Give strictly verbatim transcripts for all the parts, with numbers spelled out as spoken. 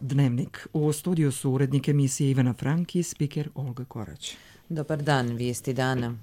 Dnevnik. U studiju su urednik emisije Ivana Frank i spiker Olga Korać. Dobar dan, vijesti dana.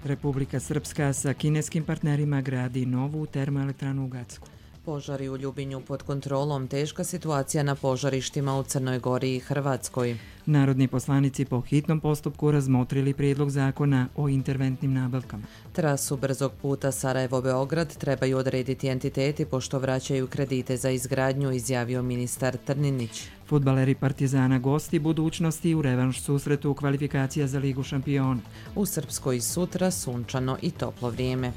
Republika Srpska sa kineskim partnerima gradi novu termoelektranu u Gacku. Požari u Ljubinju pod kontrolom, teška situacija na požarištima u Crnoj Gori i Hrvatskoj. Narodni poslanici po hitnom postupku razmotrili prijedlog zakona o interventnim nabavkama. Trasu brzog puta Sarajevo-Beograd trebaju odrediti entiteti pošto vraćaju kredite za izgradnju, izjavio ministar Trninić. Fudbaleri Partizana gosti budućnosti u revanš susretu kvalifikacija za Ligu šampiona. U Srpskoj sutra sunčano i toplo vrijeme.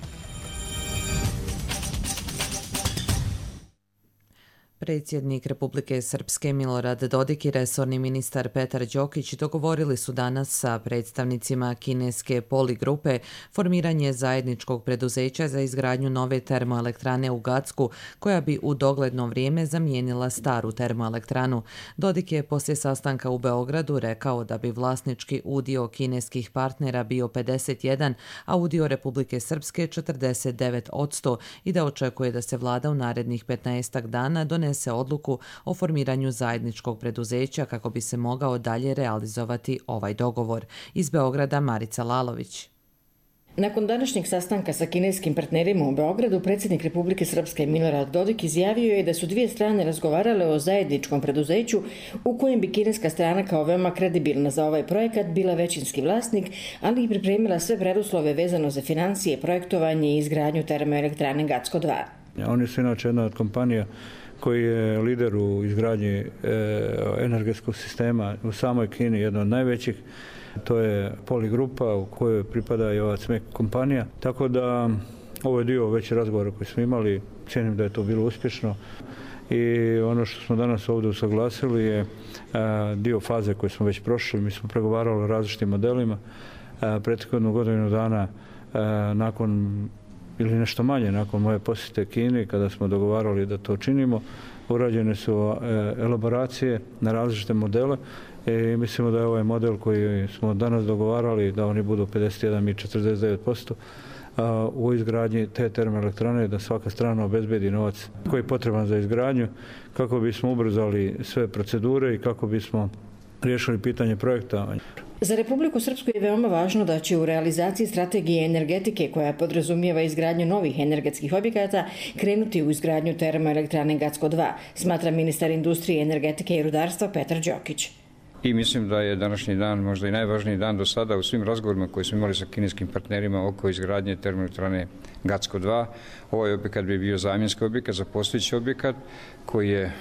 Predsjednik Republike Srpske Milorad Dodik i resorni ministar Petar Đokić dogovorili su danas sa predstavnicima kineske Poli grupe formiranje zajedničkog preduzeća za izgradnju nove termoelektrane u Gacku, koja bi u dogledno vrijeme zamijenila staru termoelektranu. Dodik je poslije sastanka u Beogradu rekao da bi vlasnički udio kineskih partnera bio pedeset jedan, a udio Republike Srpske četrdeset devet posto i da očekuje da se vlada u narednih petnaestak dana donese se odluku o formiranju zajedničkog preduzeća kako bi se mogao dalje realizovati ovaj dogovor. Iz Beograda Marica Lalović. Nakon današnjeg sastanka sa kineskim partnerima u Beogradu, predsjednik Republike Srpske Milorad Dodik izjavio je da su dvije strane razgovarale o zajedničkom preduzeću u kojem bi kineska strana kao veoma kredibilna za ovaj projekat bila većinski vlasnik, ali i pripremila sve preduslove vezano za financije, projektovanje i izgradnju termoelektrane Gacko dva. Oni su inače jedna od kompanija koji je lider u izgradnji e, energetskog sistema u samoj Kini, jedna od najvećih. To je Poli grupa u kojoj pripada i ova C M E C kompanija. Tako da ovo je dio već razgovora koji smo imali, cijenim da je to bilo uspješno. I ono što smo danas ovdje usaglasili je a, dio faze koje smo već prošli. Mi smo pregovarali o različitim modelima. Prethodnu godinu dana a, nakon ili nešto manje nakon moje posjete Kini, kada smo dogovarali da to činimo, urađene su elaboracije na različite modele i mislimo da je ovaj model koji smo danas dogovarali, da oni budu pedeset jedan i četrdeset devet posto u izgradnji te termoelektrane, da svaka strana obezbedi novac koji je potreban za izgradnju, kako bismo ubrzali sve procedure i kako bismo riješili pitanje projekta. Za Republiku Srpsku je veoma važno da će u realizaciji strategije energetike koja podrazumijeva izgradnju novih energetskih objekata krenuti u izgradnju termoelektrane Gacko dva, smatra ministar industrije, energetike i rudarstva Petar Đokić. I mislim da je današnji dan možda i najvažniji dan do sada u svim razgovorima koji smo imali sa kineskim partnerima oko izgradnje termoelektrane Gacko dva. Ovaj objekat bi bio zamjenski objekat za postojeći objekat koji je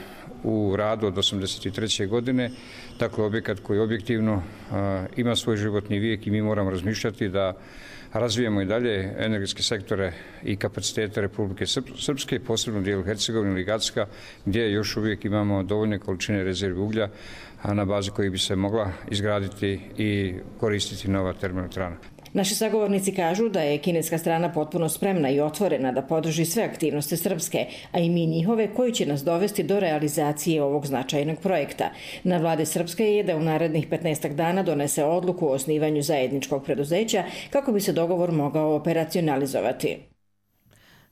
u radu od osamdeset treće godine. Dakle, objekat koji objektivno a, ima svoj životni vijek i mi moramo razmišljati da razvijemo i dalje energetske sektore i kapacitete Republike Srpske, posebno dijelu Hercegovine ili Gacka, gdje još uvijek imamo dovoljne količine rezervi uglja, a na bazi koji bi se mogla izgraditi i koristiti nova termoelektrana. Naši sagovornici kažu da je kineska strana potpuno spremna i otvorena da podrži sve aktivnosti Srpske, a i mi njihove, koji će nas dovesti do realizacije ovog značajnog projekta. Na vlade Srpske je da u narednih petnaestak dana donese odluku o osnivanju zajedničkog preduzeća kako bi se dogovor mogao operacionalizovati.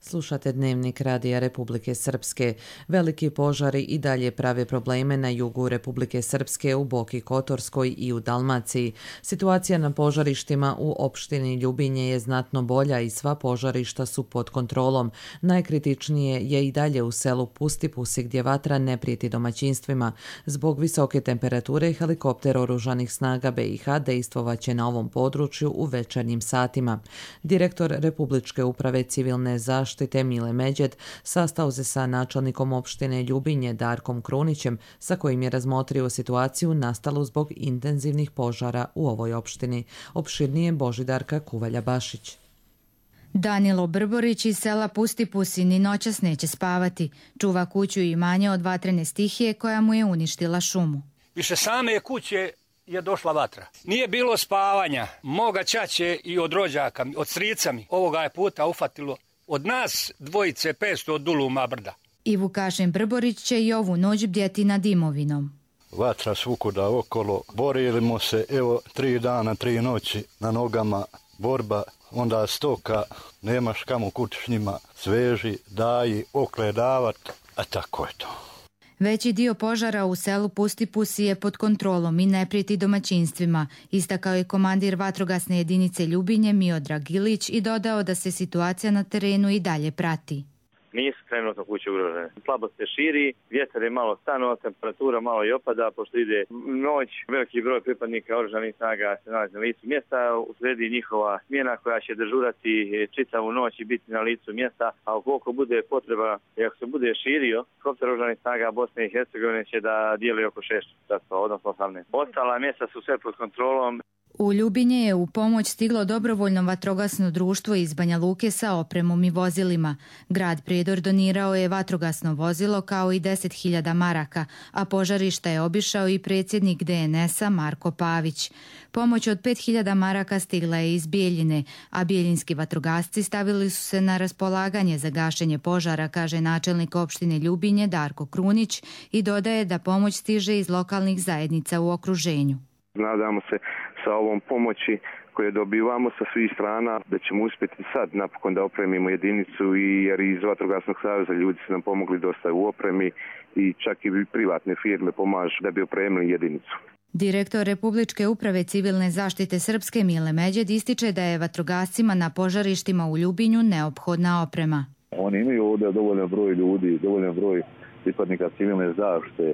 Slušate Dnevnik Radija Republike Srpske. Veliki požari i dalje prave probleme na jugu Republike Srpske, u Boki Kotorskoj i u Dalmaciji. Situacija na požarištima u opštini Ljubinje je znatno bolja i sva požarišta su pod kontrolom. Najkritičnije je i dalje u selu Pustipusi gdje vatra ne prijeti domaćinstvima. Zbog visoke temperature helikopter oružanih snaga B i H dejstvovaće na ovom području u večernjim satima. Direktor Republičke uprave civilne zaštite zaštite Mile Međed sastao se sa načelnikom opštine Ljubinje Darkom Krunićem, sa kojim je razmotrio situaciju nastalu zbog intenzivnih požara u ovoj opštini. Opširnije Božidarka Kuvalja-Bašić. Danilo Brborić iz sela Pustipusi ni noćas neće spavati. Čuva kuću i imanje od vatrene stihije koja mu je uništila šumu. Više same kuće je došla vatra. Nije bilo spavanja. Moga ćaće i od rođaka, od strica mi. Ovoga je puta ufatilo od nas dvojice petsto od Duluma brda. I Vukašin Brborić će i ovu noć bdjeti nad imovinom. Vatra svukuda okolo. Borili smo se, evo, tri dana, tri noći na nogama. borba, onda stoka, nemaš kamo kući s njima, sveži, daji, okledavat, a tako je to. Veći dio požara u selu Pustipusi je pod kontrolom i ne prijeti domaćinstvima, istakao je komandir vatrogasne jedinice Ljubinje Miodrag Ilić i dodao da se situacija na terenu i dalje prati. Nisu trenutno kuće ugrožene. Slabo se širi, vjetar je malo stanuo, temperatura malo i opada, pošto ide noć. Veliki broj pripadnika oružanih snaga se nalazi na licu mjesta, uslijedi njihova smjena koja će dežurati čitavu noć i biti na licu mjesta, a ukoliko bude potreba i ako se bude širio, helikopter oružanih snaga Bosne i Hercegovine će da dijeli oko šest časova, odnosno osamnaest. Ostala mjesta su sve pod kontrolom. U Ljubinje je u pomoć stiglo dobrovoljno vatrogasno društvo iz Banja Luke sa opremom i vozilima. Grad Prijedor donirao je vatrogasno vozilo kao i deset hiljada maraka, a požarišta je obišao i predsjednik D N S-a Marko Pavić. Pomoć od pet hiljada maraka stigla je iz Bijeljine, a bijeljinski vatrogasci stavili su se na raspolaganje za gašenje požara, kaže načelnik opštine Ljubinje Darko Krunić i dodaje da pomoć stiže iz lokalnih zajednica u okruženju. Nadamo se sa ovom pomoći koje dobivamo sa svih strana da ćemo uspjeti sad napokon da opremimo jedinicu, i jer iz Vatrogasnog saveza ljudi su nam pomogli dosta u opremi i čak i privatne firme pomažu da bi opremili jedinicu. Direktor Republičke uprave civilne zaštite Srpske Mile Međed ističe da je vatrogascima na požarištima u Ljubinju neophodna oprema. Oni imaju ovdje dovoljan broj ljudi, dovoljan broj pripadnika civilne zaštite,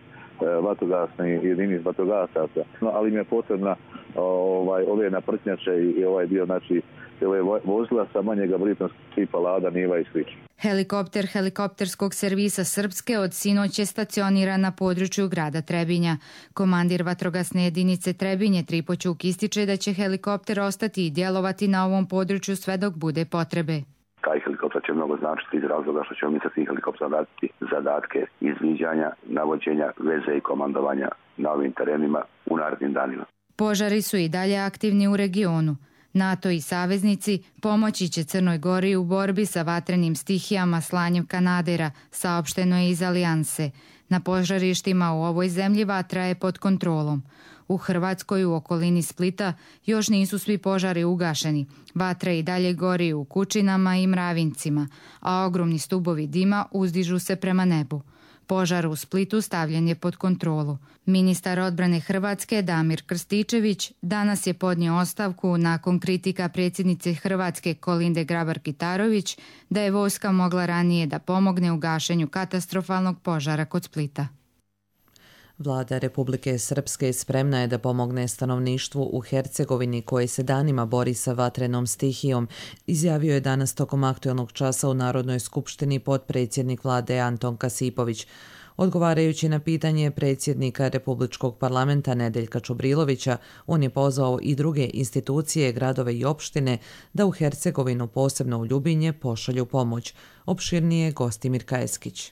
vatrogasni jedinic vatrogasaca, no, ali im je potrebna ovaj, ove naprtnjače i ovaj dio, znači ove vozila sa manjeg gabaritnog tipa Lada, Niva i slično. Helikopter helikopterskog servisa Srpske od sinoć je stacioniran na području grada Trebinja. Komandir vatrogasne jedinice Trebinje Tripoćuk ističe da će helikopter ostati i djelovati na ovom području sve dok bude potrebe. Taj helikopter će mnogo značiti iz razloga što ćemo mi sa svih helikoptera raditi zadatke izviđanja, navođenja, veze i komandovanja na ovim terenima u narednim danima. Požari su i dalje aktivni u regionu. NATO i saveznici pomoći će Crnoj Gori u borbi sa vatrenim stihijama slanjem kanadera, saopšteno je iz Alijanse. Na požarištima u ovoj zemlji vatra je pod kontrolom. U Hrvatskoj u okolini Splita još nisu svi požari ugašeni. Vatra i dalje gori u Kučinama i Mravincima, a ogromni stubovi dima uzdižu se prema nebu. Požar u Splitu stavljen je pod kontrolu. Ministar odbrane Hrvatske Damir Krstičević danas je podnio ostavku nakon kritika predsjednice Hrvatske Kolinde Grabar-Kitarović da je vojska mogla ranije da pomogne u gašenju katastrofalnog požara kod Splita. Vlada Republike Srpske spremna je da pomogne stanovništvu u Hercegovini koje se danima bori sa vatrenom stihijom, izjavio je danas tokom aktuelnog časa u Narodnoj skupštini potpredsjednik vlade Anton Kasipović. Odgovarajući na pitanje predsjednika Republičkog parlamenta Nedeljka Čubrilovića, on je pozvao i druge institucije, gradove i opštine da u Hercegovinu, posebno u Ljubinje, pošalju pomoć. Opširnije Gostimir Kajeskić.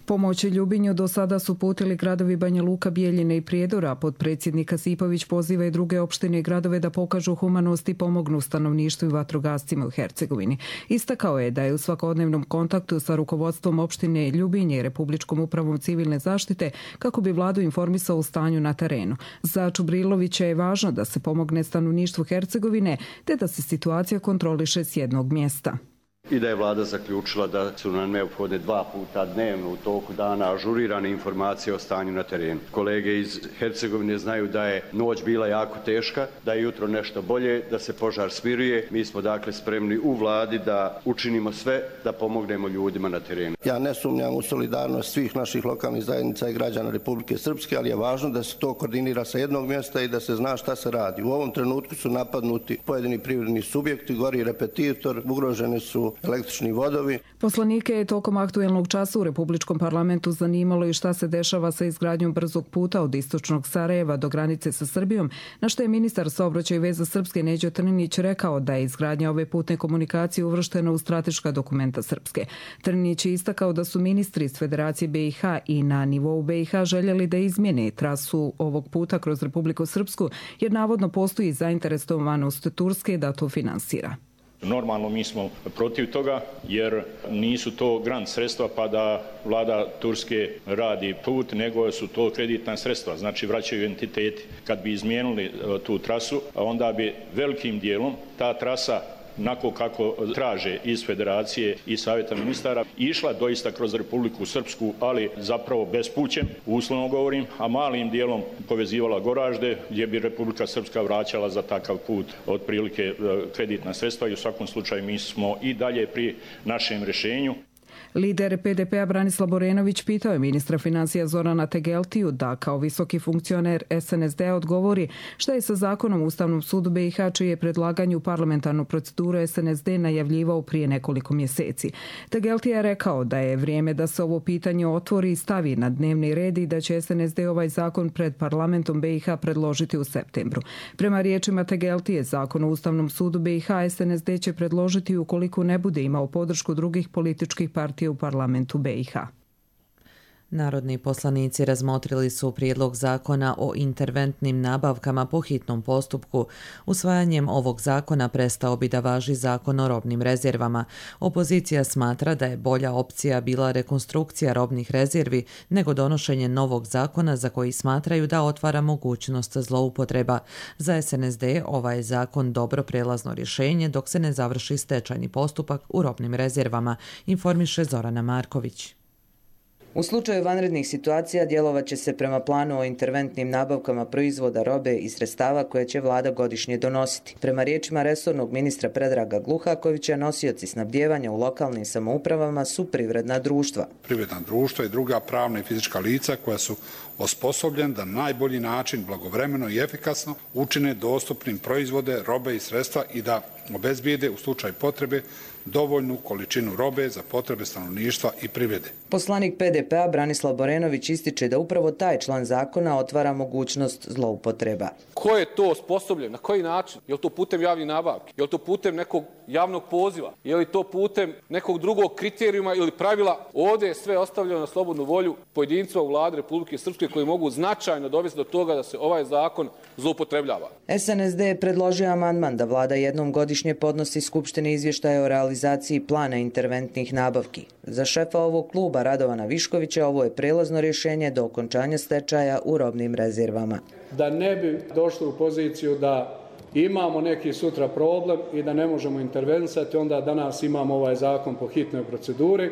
Pomoć Ljubinju do sada su putili gradovi Banja Luka, Bijeljine i Prijedora. Potpredsjednik Kasipović poziva i druge opštine i gradove da pokažu humanost i pomognu stanovništvu i vatrogascima u Hercegovini. Istakao je da je u svakodnevnom kontaktu sa rukovodstvom opštine Ljubinje i Republičkom upravom civilne zaštite kako bi vladu informisao o stanju na terenu. Za Čubrilovića je važno da se pomogne stanovništvu Hercegovine te da se situacija kontroliše s jednog mjesta. I da je vlada zaključila da su nam neophodne dva puta dnevno u toku dana ažurirane informacije o stanju na terenu. Kolege iz Hercegovine znaju da je noć bila jako teška, da je jutro nešto bolje, da se požar smiruje. Mi smo dakle spremni u vladi da učinimo sve da pomognemo ljudima na terenu. Ja ne sumnjam u solidarnost svih naših lokalnih zajednica i građana Republike Srpske, ali je važno da se to koordinira sa jednog mjesta i da se zna šta se radi. U ovom trenutku su napadnuti pojedini privredni subjekti, gori repetitor, ugrožene su električni vodovi. Poslanike je tokom aktuelnog časa u Republičkom parlamentu zanimalo i šta se dešava sa izgradnjom brzog puta od istočnog Sarajeva do granice sa Srbijom, na što je ministar saobraćaja i veza Srpske Neđo Trninić rekao da je izgradnja ove putne komunikacije uvrštena u strateška dokumenta Srpske. Trninić je istakao da su ministri iz Federacije B i H i na nivou B i H željeli da izmjene trasu ovog puta kroz Republiku Srpsku, jer navodno postoji zainteresovanost Turske da to finansira. Normalno mi smo protiv toga jer nisu to grant sredstva pa da vlada Turske radi put, nego su to kreditna sredstva, znači vraćaju entiteti. Kad bi izmijenili tu trasu, onda bi velikim dijelom ta trasa onako kako traže iz Federacije i Savjeta ministara, išla doista kroz Republiku Srpsku, ali zapravo bespućem, uslovno govorim, a malim dijelom povezivala Goražde, gdje bi Republika Srpska vraćala za takav put otprilike kreditna sredstva i u svakom slučaju mi smo i dalje pri našem rješenju. Lider P D P-a Branislav Borenović pitao je ministra financija Zorana Tegeltiju da kao visoki funkcioner S N S D-a odgovori šta je sa zakonom o Ustavnom sudu B i H čije je predlaganje u parlamentarnu proceduru S N S D najavljivao prije nekoliko mjeseci. Tegeltija je rekao da je vrijeme da se ovo pitanje otvori i stavi na dnevni red i da će S N S D ovaj zakon pred parlamentom B i H predložiti u septembru. Prema riječima Tegeltije, zakon o Ustavnom sudu B i H S N S D će predložiti ukoliko ne bude imao podršku drugih političkih partija u parlamentu B i H. Narodni poslanici razmotrili su prijedlog zakona o interventnim nabavkama po hitnom postupku. Usvajanjem ovog zakona prestao bi da važi zakon o robnim rezervama. Opozicija smatra da je bolja opcija bila rekonstrukcija robnih rezervi nego donošenje novog zakona za koji smatraju da otvara mogućnost zloupotreba. Za S N S D ovaj je zakon dobro prelazno rješenje dok se ne završi stečajni postupak u robnim rezervama, informiše Zorana Marković. U slučaju vanrednih situacija djelovat će se prema planu o interventnim nabavkama proizvoda, robe i sredstava koje će vlada godišnje donositi. Prema riječima resornog ministra Predraga Gluhakovića, nosioci snabdijevanja u lokalnim samoupravama su privredna društva. Privredna društva i druga pravna i fizička lica koja su osposobljeni da na najbolji način, blagovremeno i efikasno učine dostupnim proizvode, robe i sredstva i da obezbijede u slučaju potrebe dovoljnu količinu robe za potrebe stanovništva i privrede. Poslanik P D P-a Branislav Borenović ističe da upravo taj član zakona otvara mogućnost zloupotreba. Ko je to osposobljen? Na koji način? Je li to putem javnih nabavki? Je li to putem nekog javnog poziva? Je li to putem nekog drugog kriterijuma ili pravila? Ovdje je sve ostavljeno na slobodnu volju pojedinca u vladi Republike Srpske koji mogu značajno dovesti do toga da se ovaj zakon zloupotrebljava. S N S D je predložio amandman da vlada jednom godišnje podnosi Skupštini izvještaje o realizaciji plana interventnih nabavki. Za šefa ovog kluba Radovana Viškovića ovo je prelazno rješenje do okončanja stečaja u robnim rezervama. Da ne bi došli u poziciju da imamo neki sutra problem i da ne možemo intervenisati, onda danas imamo ovaj zakon po hitnoj proceduri.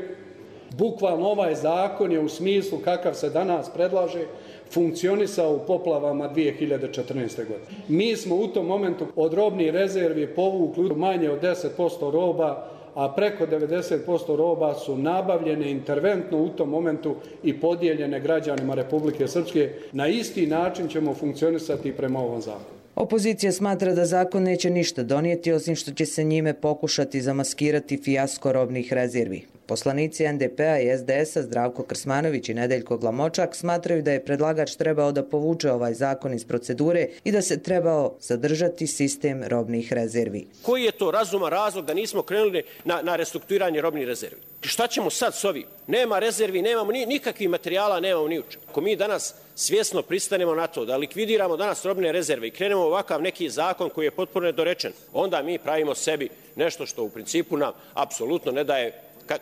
Bukvalno ovaj zakon je u smislu kakav se danas predlaže funkcionisao u poplavama dvije hiljade četrnaeste. godine. Mi smo u tom momentu od robnih rezervi povukli manje od deset posto roba, a preko devedeset posto roba su nabavljene interventno u tom momentu i podijeljene građanima Republike Srpske. Na isti način ćemo funkcionisati prema ovom zakonu. Opozicija smatra da zakon neće ništa donijeti, osim što će se njime pokušati zamaskirati fijasko robnih rezervi. Poslanici N D P-a i S D S-a Zdravko Krsmanović i Nedeljko Glamočak smatraju da je predlagač trebao da povuče ovaj zakon iz procedure i da se trebao zadržati sistem robnih rezervi. Koji je to razuman razlog da nismo krenuli na, na restrukturiranje robnih rezervi? Šta ćemo sad s ovim? Nema rezervi, nemamo ni, nikakvih materijala, nemamo ni uče. Ako mi danas svjesno pristanemo na to da likvidiramo danas robne rezerve i krenemo ovakav neki zakon koji je potpuno nedorečen, onda mi pravimo sebi nešto što u principu nam apsolutno ne daje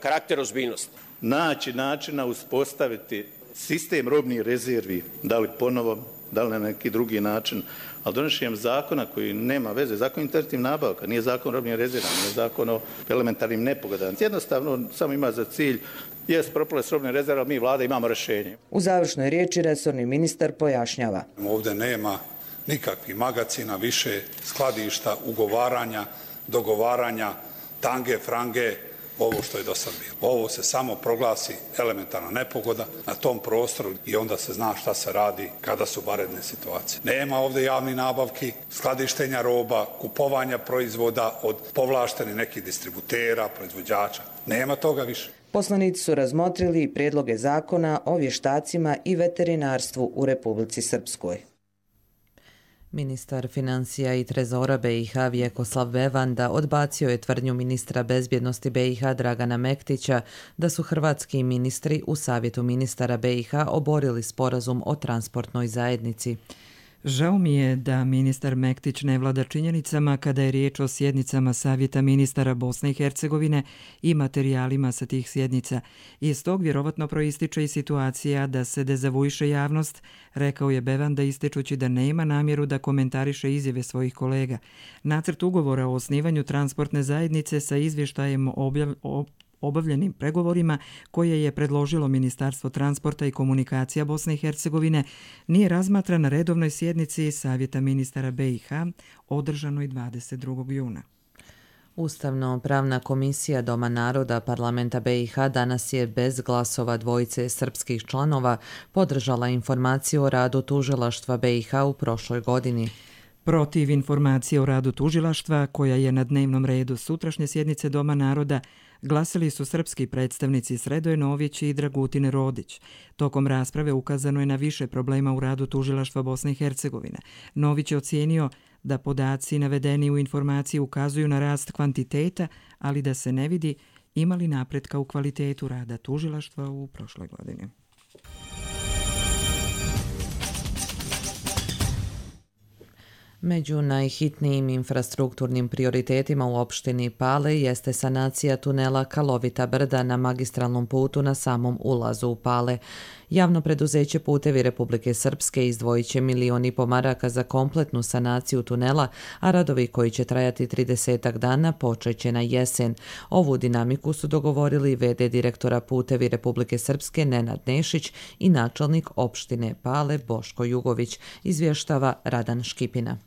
karakter ozbiljnosti. Naći načina uspostaviti sistem robnih rezervi, da li ponovo, da li na neki drugi način, ali donošenjem zakona koji nema veze, zakon interventnih nabavka, nije zakon o robnim rezervama, nije zakon o elementarnim nepogodama. Jednostavno samo ima za cilj jest propale s robne rezerve, ali mi vlada imamo rješenje. U završnoj riječi resorni ministar pojašnjava. Ovdje nema nikakvih magacina, više skladišta, ugovaranja, dogovaranja, tange, frange, ovo što je do sad bilo. Ovo se samo proglasi elementarna nepogoda na tom prostoru i onda se zna šta se radi kada su vanredne situacije. Nema ovdje javnih nabavki, skladištenja roba, kupovanja proizvoda od povlaštenih nekih distributera, proizvođača. Nema toga više. Poslanici su razmotrili i prijedloge zakona o vještacima i veterinarstvu u Republici Srpskoj. Ministar financija i trezora B i H Vjekoslav Bevanda odbacio je tvrdnju ministra bezbjednosti B i H Dragana Mektića da su hrvatski ministri u Savjetu ministara B i H oborili sporazum o transportnoj zajednici. Žao mi je da ministar Mektić ne vlada činjenicama kada je riječ o sjednicama Savjeta ministara Bosne i Hercegovine i materijalima sa tih sjednica. Iz tog vjerovatno proističe i situacija da se dezavuiše javnost, rekao je Bevanda ističući da nema namjeru da komentariše izjave svojih kolega. Nacrt ugovora o osnivanju transportne zajednice sa izvještajem objav, o obavljenim pregovorima koje je predložilo Ministarstvo transporta i komunikacija Bosne i Hercegovine nije razmatran na redovnoj sjednici Savjeta ministara B i H održanoj dvadeset drugog juna. Ustavno-pravna komisija Doma naroda parlamenta B i H danas je bez glasova dvojice srpskih članova podržala informaciju o radu tužilaštva B i H u prošloj godini. Protiv informacije o radu tužilaštva, koja je na dnevnom redu sutrašnje sjednice Doma naroda, glasili su srpski predstavnici Sredoje Nović i Dragutine Rodić. Tokom rasprave ukazano je na više problema u radu tužilaštva Bosne i Hercegovine. Nović je ocijenio da podaci navedeni u informaciji ukazuju na rast kvantiteta, ali da se ne vidi ima li napretka u kvalitetu rada tužilaštva u prošloj godini. Među najhitnijim infrastrukturnim prioritetima u opštini Pale jeste sanacija tunela Kalovita brda na magistralnom putu na samom ulazu u Pale. Javno preduzeće Putevi Republike Srpske izdvojit će milion i po maraka za kompletnu sanaciju tunela, a radovi koji će trajati tridesetak dana počeće na jesen. Ovu dinamiku su dogovorili ve de direktora Putevi Republike Srpske Nenad Nešić i načelnik opštine Pale Boško Jugović, izvještava Radan Škipina.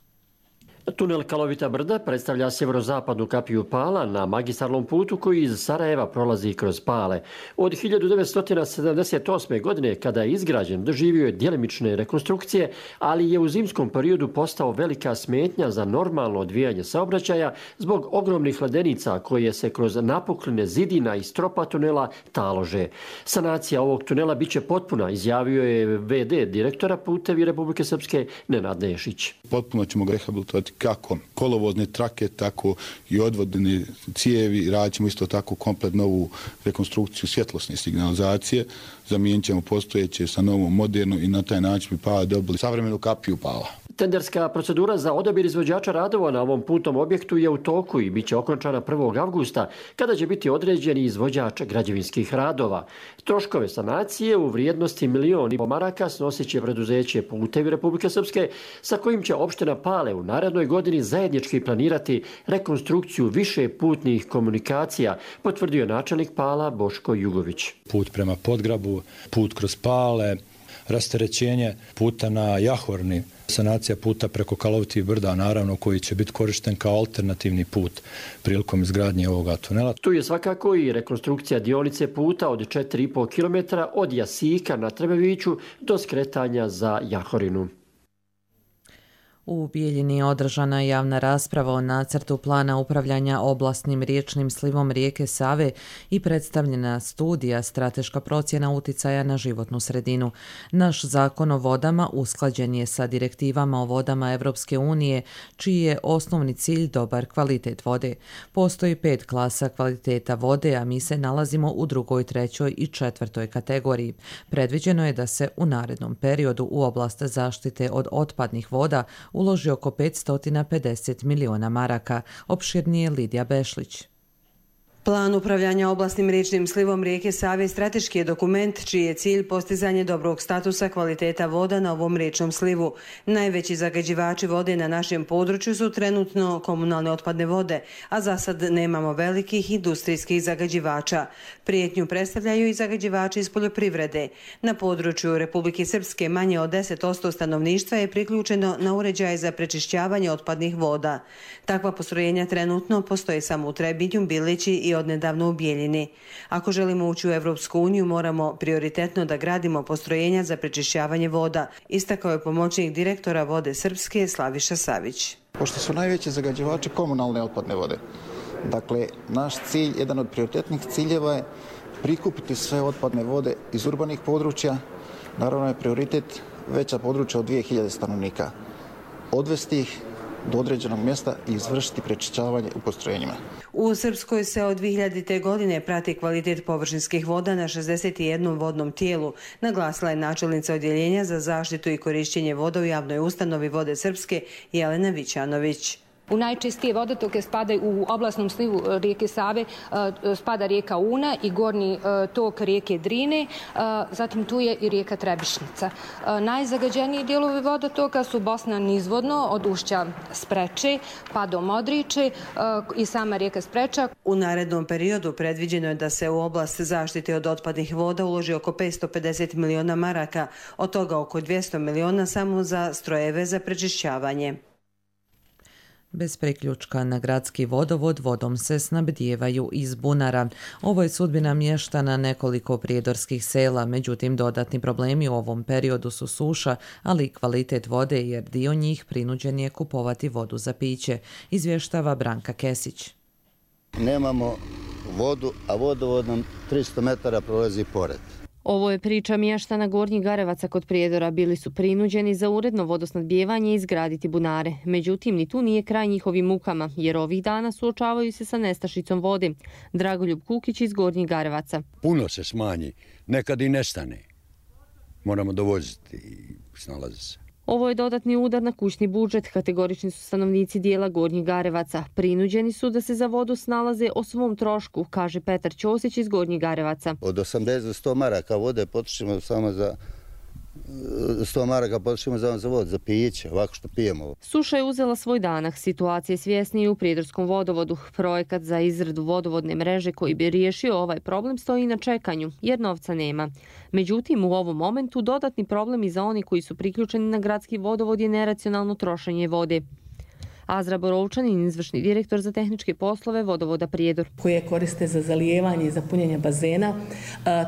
Tunel Kalovita brda predstavlja sjeverozapadnu kapiju Pala na magistralnom putu koji iz Sarajeva prolazi kroz Pale. Od hiljadu devetsto sedamdeset osme. godine, kada je izgrađen, doživio je djelimične rekonstrukcije, ali je u zimskom periodu postao velika smetnja za normalno odvijanje saobraćaja zbog ogromnih ledenica koje se kroz napukline zidina i stropa tunela talože. Sanacija ovog tunela biće potpuna, izjavio je ve de direktora Putevi Republike Srpske Nenad Nešić. Potpuno ćemo ga rehabilitovati kako kolovozne trake, tako i odvodne cijevi. Radit ćemo isto tako komplet novu rekonstrukciju svjetlosne signalizacije. Zamijenit ćemo postojeće sa novom modernu i na taj način bi Pala dobili savremenu kapiju Pala. Tenderska procedura za odabir izvođača radova na ovom putnom objektu je u toku i bit će okončana prvog avgusta, kada će biti određen izvođač građevinskih radova. Troškove sanacije u vrijednosti milion i po maraka snosit će preduzeće Putevi Republike Srpske, sa kojim će opština Pale u narednoj godini zajednički planirati rekonstrukciju više putnih komunikacija, potvrdio načelnik Pala Boško Jugović. Put prema Podgrabu, put kroz Pale, rasterećenje puta na Jahorni, sanacija puta preko Kalovitih brda, naravno, koji će biti korišten kao alternativni put prilikom izgradnje ovoga tunela. Tu je svakako i rekonstrukcija dionice puta od četiri i po kilometra od Jasika na Trebeviću do skretanja za Jahorinu. U Bijeljini je održana javna rasprava o nacrtu plana upravljanja oblastnim riječnim slivom rijeke Save i predstavljena studija strateška procjena uticaja na životnu sredinu. Naš zakon o vodama usklađen je sa direktivama o vodama Evropske unije, čiji je osnovni cilj dobar kvalitet vode. Postoji pet klasa kvaliteta vode, a mi se nalazimo u drugoj, trećoj i četvrtoj kategoriji. Predviđeno je da se u narednom periodu u oblast zaštite od otpadnih voda uloži oko petsto pedeset miliona maraka, opširnije Lidija Bešlić. Plan upravljanja oblastnim riječnim slivom rijeke Save strateški je dokument čiji je cilj postizanje dobrog statusa kvaliteta voda na ovom riječnom slivu. Najveći zagađivači vode na našem području su trenutno komunalne otpadne vode, a za sad nemamo velikih industrijskih zagađivača. Prijetnju predstavljaju i zagađivači iz poljoprivrede. Na području Republike Srpske manje od deset posto stanovništva je priključeno na uređaje za prečišćavanje otpadnih voda. Takva postrojenja trenutno postoje samo u Trebinju, Bilići i odnedavno u Bijeljini. Ako želimo ući u Evropsku uniju, moramo prioritetno da gradimo postrojenja za prečišćavanje voda, istakao je pomoćnik direktora Vode Srpske Slaviša Savić. Pošto su najveći zagađivači komunalne otpadne vode, dakle, naš cilj, jedan od prioritetnih ciljeva je prikupiti sve otpadne vode iz urbanih područja, naravno je prioritet veća područja od dvije hiljade stanovnika, odvesti ih do određenog mjesta i izvršiti prečišćavanje u postrojenjima. U Srpskoj se od dvije hiljadite. godine prati kvalitet površinskih voda na šezdeset jednom vodnom tijelu, naglasila je načelnica odjeljenja za zaštitu i korišćenje voda u javnoj ustanovi Vode Srpske Jelena Vićanović. U najčistije vodotoke spadaju u oblasnom slivu rijeke Save, spada rijeka Una i gornji tok rijeke Drine, zatim tu je i rijeka Trebišnica. Najzagađeniji dijelovi vodotoka su Bosna nizvodno od ušća Spreče pa do Modriče i sama rijeka Spreča. U narednom periodu predviđeno je da se u oblast zaštite od otpadnih voda uloži oko petsto pedeset miliona maraka, od toga oko dvjesto miliona samo za strojeve za prečišćavanje. Bez priključka na gradski vodovod vodom se snabdijevaju iz bunara. Ovo je sudbina mještana nekoliko prijedorskih sela, međutim dodatni problemi u ovom periodu su suša, ali i kvalitet vode jer dio njih prinuđen je kupovati vodu za piće, izvještava Branka Kesić. Nemamo vodu, a vodovod nam tristo metara prolazi pored. Ovo je priča mještana Gornjih Garevaca kod Prijedora. Bili su prinuđeni za uredno vodosnabdijevanje izgraditi bunare. Međutim, ni tu nije kraj njihovim mukama, jer ovih dana suočavaju se sa nestašicom vode. Dragoljub Kukić iz Gornjih Garevaca. Puno se smanji, nekad i nestane. Moramo dovoziti i snalazi se. Ovo je dodatni udar na kućni budžet. Kategorični su stanovnici dijela Gornjih Garevaca. Prinuđeni su da se za vodu snalaze o svom trošku, kaže Petar Ćosić iz Gornjih Garevaca. Od osamdeset do sto maraka vode potrošimo samo za sto maraka potrošimo za, za vodu, za piće, ovako što pijemo. Suša je uzela svoj danak. Situacija je svjesnija u Prijedorskom vodovodu. Projekat za izradu vodovodne mreže koji bi riješio ovaj problem stoji na čekanju, jer novca nema. Međutim, u ovom momentu dodatni problem i za oni koji su priključeni na gradski vodovod je neracionalno trošenje vode. Azra Borovčanin, izvršni direktor za tehničke poslove vodovoda Prijedor. Koje koriste za zalijevanje i za punjenje bazena,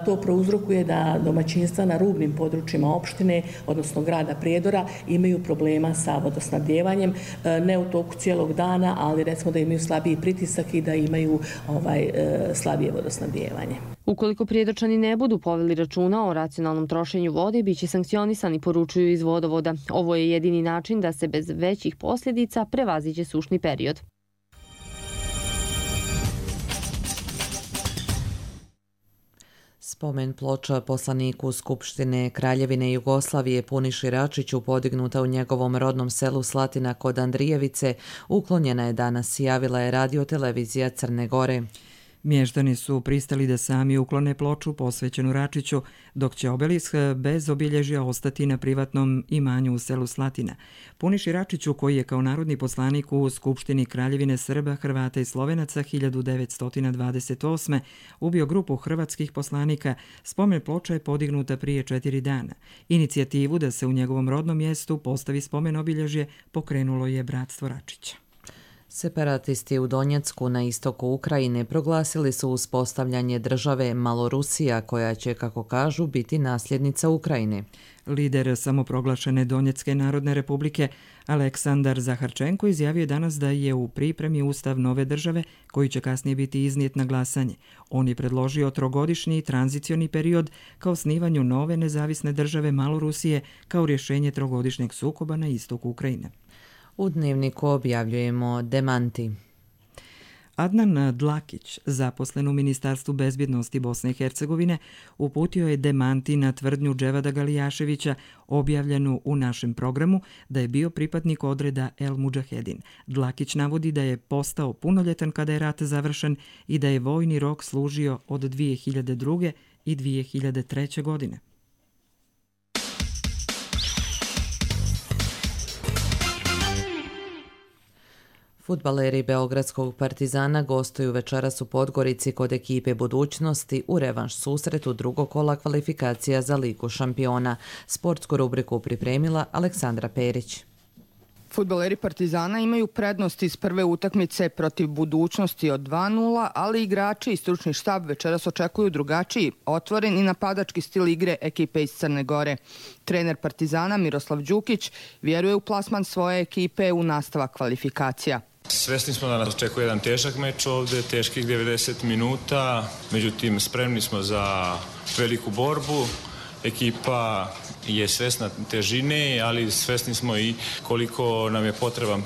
to prouzrokuje da domaćinstva na rubnim područjima opštine, odnosno grada Prijedora, imaju problema sa vodosnabdjevanjem, ne u toku cijelog dana, ali recimo da imaju slabiji pritisak i da imaju ovaj, slabije vodosnabdjevanje. Ukoliko Prijedorčani ne budu poveli računa o racionalnom trošenju vode, bit će sankcionisani, poručuju iz vodovoda. Ovo je jedini način da se bez većih posljedica prevaziđe sušni period. Spomen ploča poslaniku Skupštine Kraljevine Jugoslavije Puniši Račiću podignuta u njegovom rodnom selu Slatina kod Andrijevice uklonjena je danas, javila je radiotelevizija Crne Gore. Mještani su pristali da sami uklone ploču posvećenu Račiću, dok će obelisk bez obilježja ostati na privatnom imanju u selu Slatina. Puniši Račiću, koji je kao narodni poslanik u Skupštini Kraljevine Srba, Hrvata i Slovenaca hiljadu devetsto dvadeset osme ubio grupu hrvatskih poslanika, spomen ploča je podignuta prije četiri dana. Inicijativu da se u njegovom rodnom mjestu postavi spomen obilježje pokrenulo je Bratstvo Račića. Separatisti u Donjecku na istoku Ukrajine proglasili su uspostavljanje države Malorusija koja će, kako kažu, biti nasljednica Ukrajine. Lider samoproglašene Donjecke narodne republike Aleksandar Zaharčenko izjavio je danas da je u pripremi ustav nove države koji će kasnije biti iznijet na glasanje. On je predložio trogodišnji tranzicioni period kao osnivanju nove nezavisne države Malorusije kao rješenje trogodišnjeg sukoba na istoku Ukrajine. U Dnevniku objavljujemo demanti. Adnan Dlakić, zaposlen u Ministarstvu bezbjednosti Bosne i Hercegovine, uputio je demanti na tvrdnju Dževada Galijaševića objavljenu u našem programu da je bio pripadnik odreda El Mudžahedin. Dlakić navodi da je postao punoljetan kada je rat završen i da je vojni rok služio od dvije hiljade druge. i dvije hiljade treće. godine. Fudbaleri Beogradskog Partizana gostuju večeras u Podgorici kod ekipe Budućnosti u revanš susretu drugog kola kvalifikacija za Ligu šampiona. Sportsku rubriku pripremila Aleksandra Perić. Fudbaleri Partizana imaju prednost iz prve utakmice protiv Budućnosti od dva nula, ali igrači i stručni štab večeras očekuju drugačiji, otvoren i napadački stil igre ekipe iz Crne Gore. Trener Partizana Miroslav Đukić vjeruje u plasman svoje ekipe u nastavak kvalifikacija. Svesni smo da nas očekuje jedan težak meč ovde, teških devedeset minuta, međutim spremni smo za veliku borbu. Ekipa je svesna težine, ali svesni smo i koliko nam je potreban e,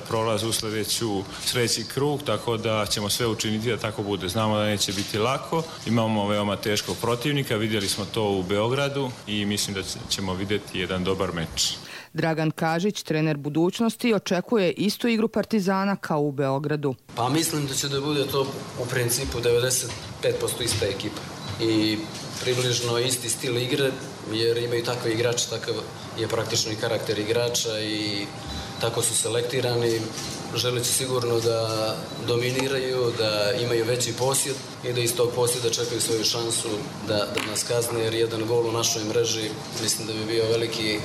prolaz u sljedeću, sljedeći krug, tako da ćemo sve učiniti da tako bude. Znamo da neće biti lako, imamo veoma teškog protivnika, vidjeli smo to u Beogradu i mislim da ćemo vidjeti jedan dobar meč. Dragan Kažić, trener budućnosti, očekuje istu igru Partizana kao u Beogradu. Pa mislim da će da bude to u principu devedeset pet posto ista ekipa i približno isti stil igre, jer imaju takve igrače, takav je praktično i karakter igrača i tako su selektirani. Želeći sigurno da dominiraju, da imaju veći posjed i da iz tog posjeda čekaju svoju šansu da, da nas kazne, jer jedan gol u našoj mreži mislim da bi bio veliki.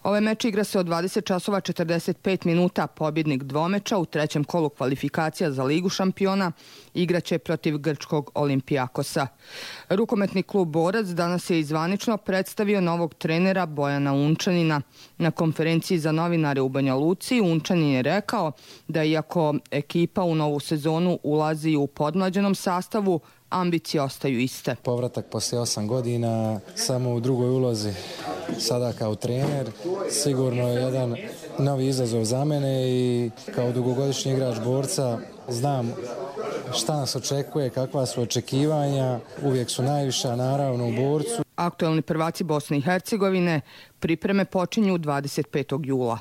Ovaj meč igra se od dvadeset časova četrdeset pet minuta. Pobjednik dvomeča u trećem kolu kvalifikacija za Ligu šampiona igraće protiv grčkog Olimpijakosa. Rukometni klub Borac danas je izvanično predstavio novog trenera Bojana Unčanina. Na konferenciji za novinare u Banja Luci Unčanin je rekao da iako ekipa u novu sezonu ulazi u podmlađenom sastavu, ambicije ostaju iste. Povratak poslije osam godina, samo u drugoj ulozi, sada kao trener, sigurno je jedan novi izazov za mene i kao dugogodišnji igrač Borca znam šta nas očekuje, kakva su očekivanja, uvijek su najviša naravno u Borcu. Aktuelni prvaci Bosne i Hercegovine pripreme počinju dvadeset petog jula.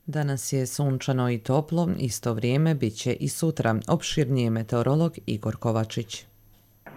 Danas je sunčano i toplo, isto vrijeme bit će i sutra. Opširnije meteorolog Igor Kovačić.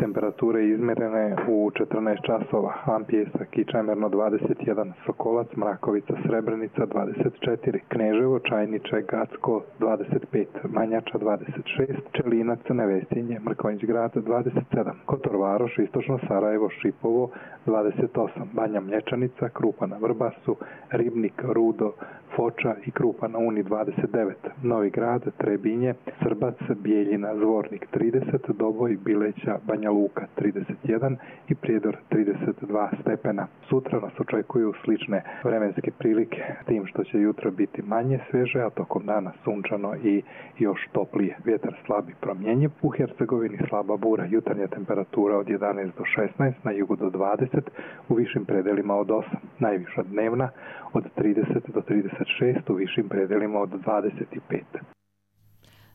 Temperature izmjerene u četrnaest časova, Ampijesa, Kičajmerno dvadeset jedan, Sokolac, Mrakovica, Srebrenica dvadeset četiri, Kneževo, Čajniče, Gacko dvadeset pet, Manjača dvadeset šest, Čelinac, Nevesinje, Mrkonjić grad dvadeset sedam, Kotor Varoš, Istočno Sarajevo, Šipovo dvadeset osam, Banja Mlječanica, Krupa na Vrbasu, Ribnik, Rudo, Foča i Krupa na Uni dvadeset devet, Novi Grad, Trebinje, Srbac, Bijeljina, Zvornik trideset, Doboj, Bileća, Banja Luka trideset jedan i Prijedor trideset dva stepena. Sutra nas očekuju slične vremenske prilike, tim što će jutro biti manje sveže, a tokom dana sunčano i još toplije. Vjetar slab i promjenjiv, u Hercegovini slaba bura, jutarnja temperatura od jedanaest do šesnaest, na jugu do dvadeset, u višim predelima od osam, najviša dnevna od trideset do trideset šest, u višim predelima od dvadeset pet.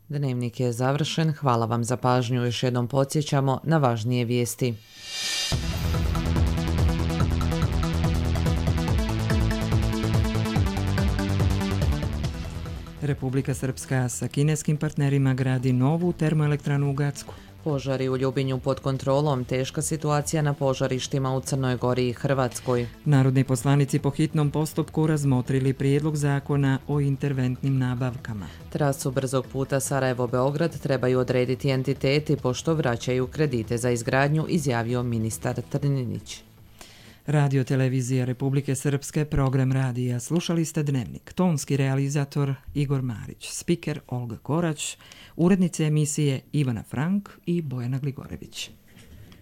Dnevnik je završen. Hvala vam za pažnju. Još jednom podsjećamo na važnije vijesti. Republika Srpska sa kineskim partnerima gradi novu termoelektranu u Gacku. Požari u Ljubinju pod kontrolom, teška situacija na požarištima u Crnoj Gori i Hrvatskoj. Narodni poslanici po hitnom postupku razmotrili prijedlog zakona o interventnim nabavkama. Trasu brzog puta Sarajevo-Beograd trebaju odrediti entiteti pošto vraćaju kredite za izgradnju, izjavio ministar Trninić. Radio televizija Republike Srpske, program radija. Slušali ste Dnevnik. Tonski realizator Igor Marić, spiker Olga Korać, urednice emisije Ivana Frank i Bojana Gligorević.